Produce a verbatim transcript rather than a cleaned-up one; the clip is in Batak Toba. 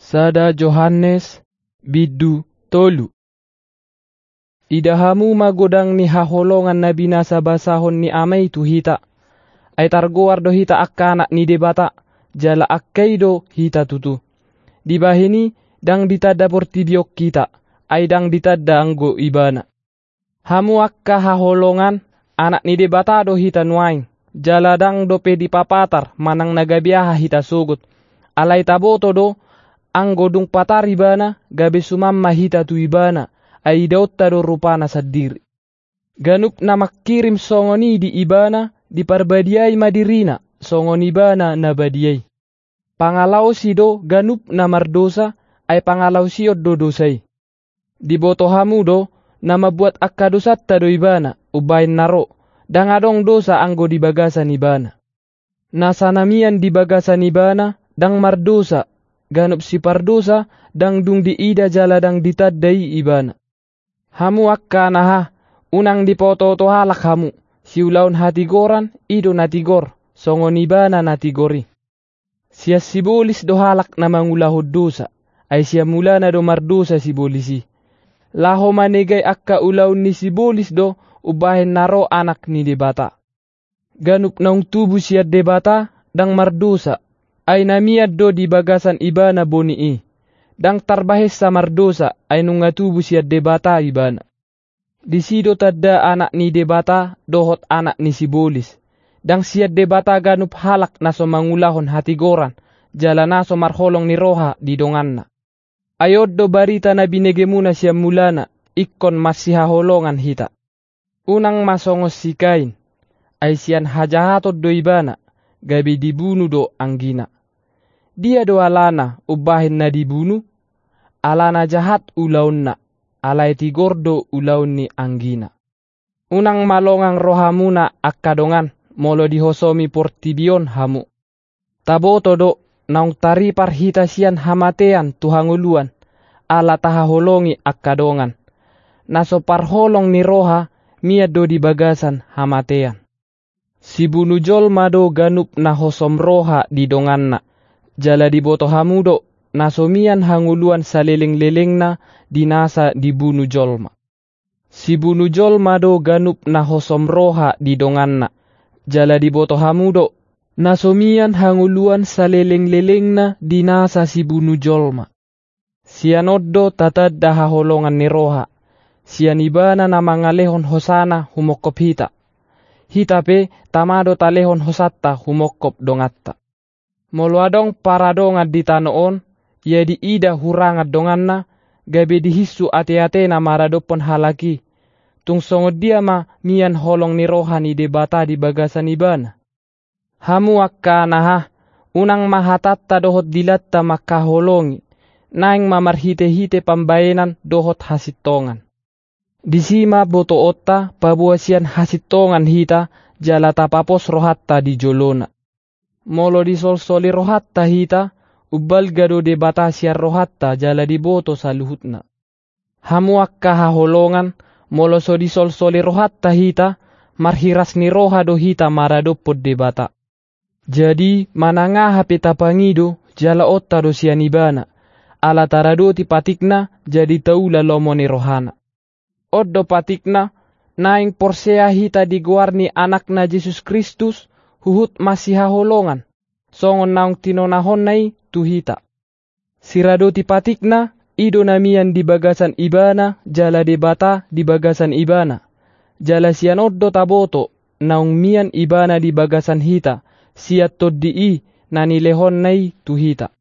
Sada Johannes, bindu tolu. Ida hamu ma godang ni haholongan na binasa basahon ni Ama i tu hita. Ai targoar do hita angka anak ni Debata, jala angka i do hita tutu. Dibahen i, ndang ditanda portibi on hita, ai ndang ditanda anggo Ibana. Hamu angka haholongan, anak ni Debata do hita nuaeng, jala ndang dope dipapatar manang na gabe aha hita sogot. Alai taboto do, anggo dung patar Ibana, gabe suman ma hita tu Ibana, ai idaonta do rupana sandiri. Ganup na mangkirim songon i di Ibana, diparbadiai ma dirina, songon Ibana na badia i. Pangalaosi do ganup na mardosa, ai pangalaosion do dosa i. Diboto hamu do, na mambuat angka dosanta do Ibana, umbahen na ro, ndang adong dosa anggo di bagasan Ibana. Nasa na mian di bagasan Ibana, ndang mardosa, ganup sipardosa, ndang dung diida jala ndang ditanda i Ibana. Hamu angka anaha, unang dipaotooto halak hamu, siulaon hatigoran, i do na tigor, songon Ibana na tigor i. Sian sibolis do halak na mangulahon dosa, ai sian mulana do mardosa sibolis i. Laho manegai angka ulaon ni sibolis do, umbahen na ro Anak ni Debata. Ganup naung tubu sian Debata, ndang mardosa, ai na mian do di bagasan Ibana boni i. Ndang tarbahensa mardosa, ai nunga tubu sian Debata Ibana. Disi do tanda Anak ni Debata dohot anak ni sibolis. Ndang sian Debata ganup halak na so mangulahon hatigoran, jala na so marholong ni roha di donganna. Ai on do barita na binegemuna sian mulana, ingkon marsihaholongan hita. Unang ma songon si Kain, ai sian hajahaton do ibana, gabe dibunu do anggina. Dia do alana umbahen na dibunu? Alana jahat ulaonna, alai tigor do ulaon ni anggina. Unang ma longang rohamuna angka dongan, molo dihosomi portibi on hamu. Taboto do, naung taripar hita sian hamatean tu hangoluan, ala tahaholongi angka dongan. Na so parholong ni roha, mian do di bagasan hamatean. Sibunu jolma do ganup na hosom roha di donganna, jala diboto hamu do, na so mian hangoluan salelenglelengna di nasa dibunu jolma. Sibunu jolma do ganup na hosom roha di donganna, jala diboto hamu do, na so mian hangoluan salelenglelengna di nasa sibunu jolma. Sian on do tatanda haholongan ni roha, sian ibana na mangalehon hosana humongkop hita. Hita pe tama do talehon hosanta humongkop donganta. Molo adong paradongan di tano on, ia diida hurangan donganna, gabe dihinsu ateatena maradophon halak i, tung songon dia ma mian holong ni roha ni Debata di bagasan ibana? Hamu angka anaha, unang ma hatanta dohot dilanta mangkaholongi, naeng ma marhitehite pambaenan dohot hasintongan. Disi ma botoonta paboa sian hasintongan hita, jala tapapos rohanta di jolona. Molo disolsoli rohanta hita, umbalga do Debata sian rohanta jala diboto saluhutna. Hamu angka haholongan, molo so disolsoli rohanta hita, marhiras ni roha do hita maradophon Debata. Jadi, manang aha pe tapangido, jaloonta do sian ibana, ala taradoti patikna, jadi taula lomo ni rohana. On do patikna, naeng porsea hita di goar ni Anakna Jesus Kristus, huhut masihaholongan, songon naung tinonahonna i tu hita. Siradoti patikna, i do na mian di bagasan ibana, jala Debata di bagasan ibana. Jala sian on do taboto, naung mian ibana di bagasan hita, sian Tondi i, na nilehonna i tu hita.